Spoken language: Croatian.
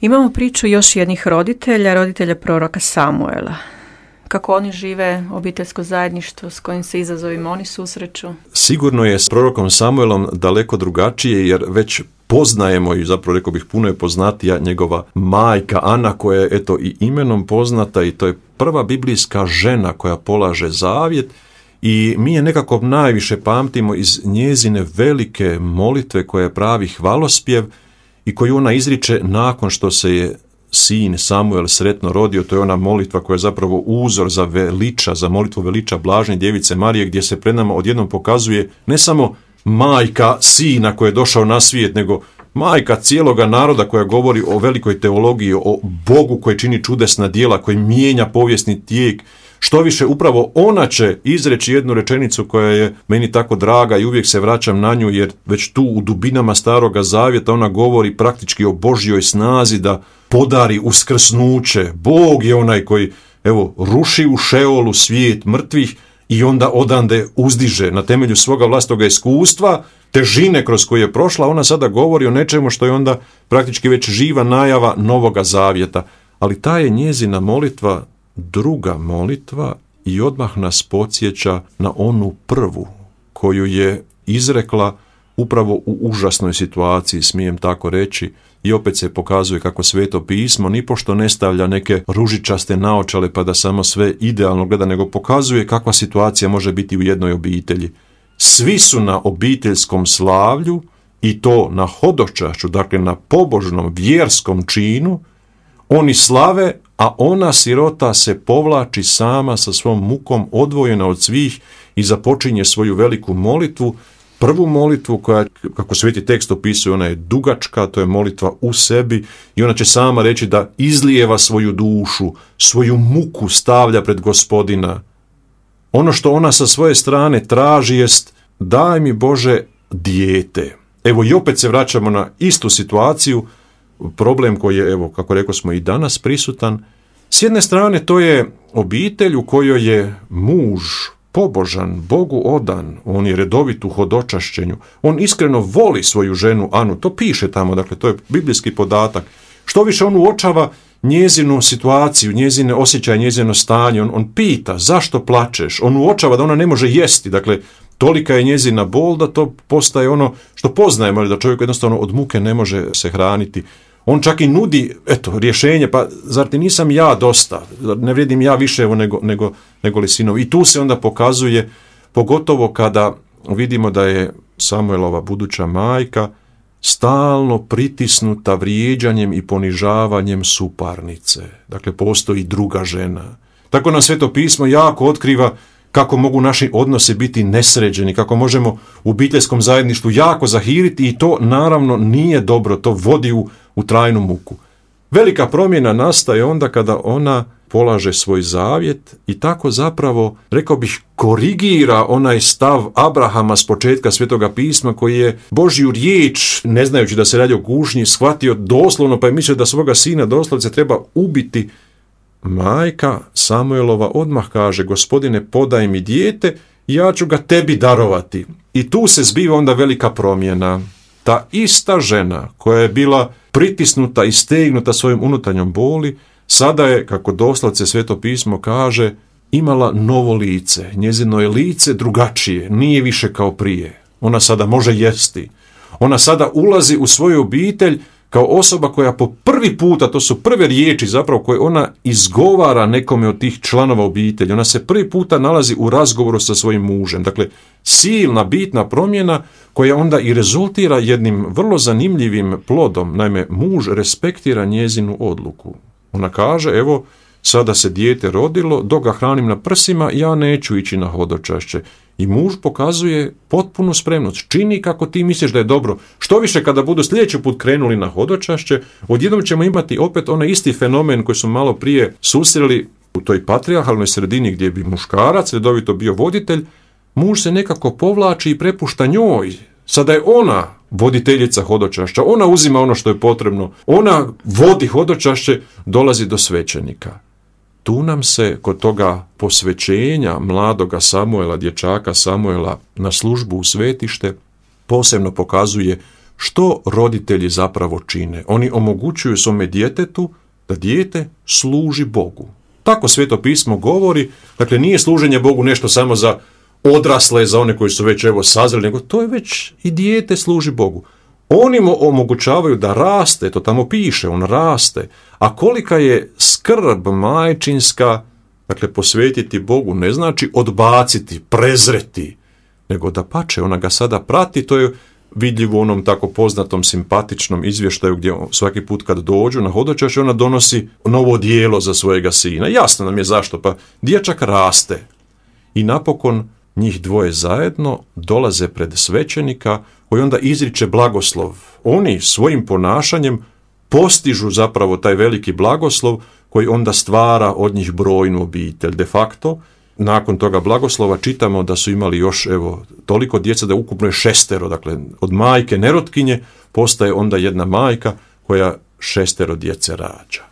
Imamo priču još jednih roditelja proroka Samuela. Kako oni žive obiteljsko zajedništvo, s kojim se izazovima oni susreću? Sigurno je s prorokom Samuelom daleko drugačije, jer već poznajemo i zapravo rekao bih puno je poznatija njegova majka Ana, koja je eto i imenom poznata i to je prva biblijska žena koja polaže zavjet i mi je nekako najviše pamtimo iz njezine velike molitve koja je pravi hvalospjev i koju ona izriče nakon što se je sin Samuel sretno rodio. To je ona molitva koja je zapravo uzor za molitvu veliča blažene djevice Marije, gdje se pred nama odjednom pokazuje ne samo majka sina koji je došao na svijet, nego majka cijeloga naroda koja govori o velikoj teologiji, o Bogu koji čini čudesna djela, koji mijenja povijesni tijek. Što više, upravo ona će izreći jednu rečenicu koja je meni tako draga i uvijek se vraćam na nju, jer već tu u dubinama Staroga Zavjeta ona govori praktički o Božjoj snazi da podari uskrsnuće. Bog je onaj koji, ruši u Šeolu svijet mrtvih i onda odande uzdiže na temelju svoga vlastitoga iskustva, težine kroz koje je prošla. Ona sada govori o nečemu što je onda praktički već živa najava Novoga Zavjeta. Ali ta je njezina molitva druga molitva i odmah nas podsjeća na onu prvu koju je izrekla upravo u užasnoj situaciji, smijem tako reći, i opet se pokazuje kako Sveto pismo nipošto ne stavlja neke ružičaste naočale pa da samo sve idealno gleda, nego pokazuje kakva situacija može biti u jednoj obitelji. Svi su na obiteljskom slavlju i to na hodočašću, dakle na pobožnom vjerskom činu, oni slave, a ona sirota se povlači sama sa svom mukom, odvojena od svih i započinje svoju veliku molitvu. Prvu molitvu koja, kako Sveti tekst opisuje, ona je dugačka, to je molitva u sebi i ona će sama reći da izlijeva svoju dušu, svoju muku stavlja pred Gospodina. Ono što ona sa svoje strane traži jest: daj mi Bože dijete. Evo i opet se vraćamo na istu situaciju, problem koji je, kako rekao smo, i danas prisutan. S jedne strane to je obitelj u kojoj je muž pobožan, Bogu odan, on je redovit u hodočašćenju, on iskreno voli svoju ženu Anu, to piše tamo, dakle to je biblijski podatak. Što više on uočava njezinu situaciju, njezine osjećaje, njezino stanje, on pita zašto plačeš, on uočava da ona ne može jesti, dakle tolika je njezina bol da to postaje ono što poznajemo, da čovjek jednostavno od muke ne može se hraniti. On čak i nudi, rješenje, pa zar ti nisam ja dosta, ne vrijedim ja više nego li sinovi. I tu se onda pokazuje, pogotovo kada vidimo da je Samuelova buduća majka stalno pritisnuta vrijeđanjem i ponižavanjem suparnice. Dakle, postoji druga žena. Tako nam Sveto pismo jako otkriva kako mogu naši odnosi biti nesređeni, kako možemo u obiteljskom zajedništvu jako zahiriti i to naravno nije dobro, to vodi u trajnu muku. Velika promjena nastaje onda kada ona polaže svoj zavjet i tako zapravo, rekao bih, korigira onaj stav Abrahama s početka Svetoga pisma koji je Božju riječ, ne znajući da se radi o kušnji, shvatio doslovno pa je mislio da svoga sina doslovce treba ubiti. Majka Samuelova odmah kaže: Gospodine, podaj mi dijete i ja ću ga tebi darovati. I tu se zbiva onda velika promjena. Ta ista žena koja je bila pritisnuta i stegnuta svojom unutarnjom boli, sada je, kako doslovce Sveto pismo kaže, imala novo lice. Njezino je lice drugačije, nije više kao prije. Ona sada može jesti. Ona sada ulazi u svoju obitelj kao osoba koja po prvi puta, to su prve riječi zapravo koje ona izgovara nekome od tih članova obitelji. Ona se prvi puta nalazi u razgovoru sa svojim mužem. Dakle, silna, bitna promjena koja onda i rezultira jednim vrlo zanimljivim plodom. Naime, muž respektira njezinu odluku. Ona kaže: evo, sada se dijete rodilo, dok ga hranim na prsima, ja neću ići na hodočašće. I muž pokazuje potpunu spremnost. Čini kako ti misliš da je dobro. Što više, kada budu sljedeći put krenuli na hodočašće, odjednom ćemo imati opet onaj isti fenomen koji su malo prije susreli u toj patrijarhalnoj sredini gdje bi muškarac redovito bio voditelj. Muž se nekako povlači i prepušta njoj. Sada je ona voditeljica hodočašća, ona uzima ono što je potrebno, ona vodi hodočašće, dolazi do svećenika. Tu nam se kod toga posvećenja mladoga Samuela, dječaka Samuela na službu u svetište, posebno pokazuje što roditelji zapravo čine? Oni omogućuju svome djetetu da dijete služi Bogu. Tako Sveto pismo govori, dakle nije služenje Bogu nešto samo za odrasle, za one koji su već sazreli, nego to je već i dijete služi Bogu. Oni mu omogućavaju da raste, to tamo piše, on raste. A kolika je skrb majčinska, dakle posvetiti Bogu ne znači odbaciti, prezreti, nego da pače, ona ga sada prati, to je vidljivo u onom tako poznatom simpatičnom izvještaju gdje svaki put kad dođu na hodočašće ona donosi novo odijelo za svojega sina. Jasno nam je zašto, pa dječak raste. I napokon njih dvoje zajedno dolaze pred svećenika koji onda izriče blagoslov. Oni svojim ponašanjem postižu zapravo taj veliki blagoslov koji onda stvara od njih brojnu obitelj. De facto, nakon toga blagoslova čitamo da su imali još toliko djece da ukupno je 6, dakle od majke nerotkinje postaje onda jedna majka koja 6 djece rađa.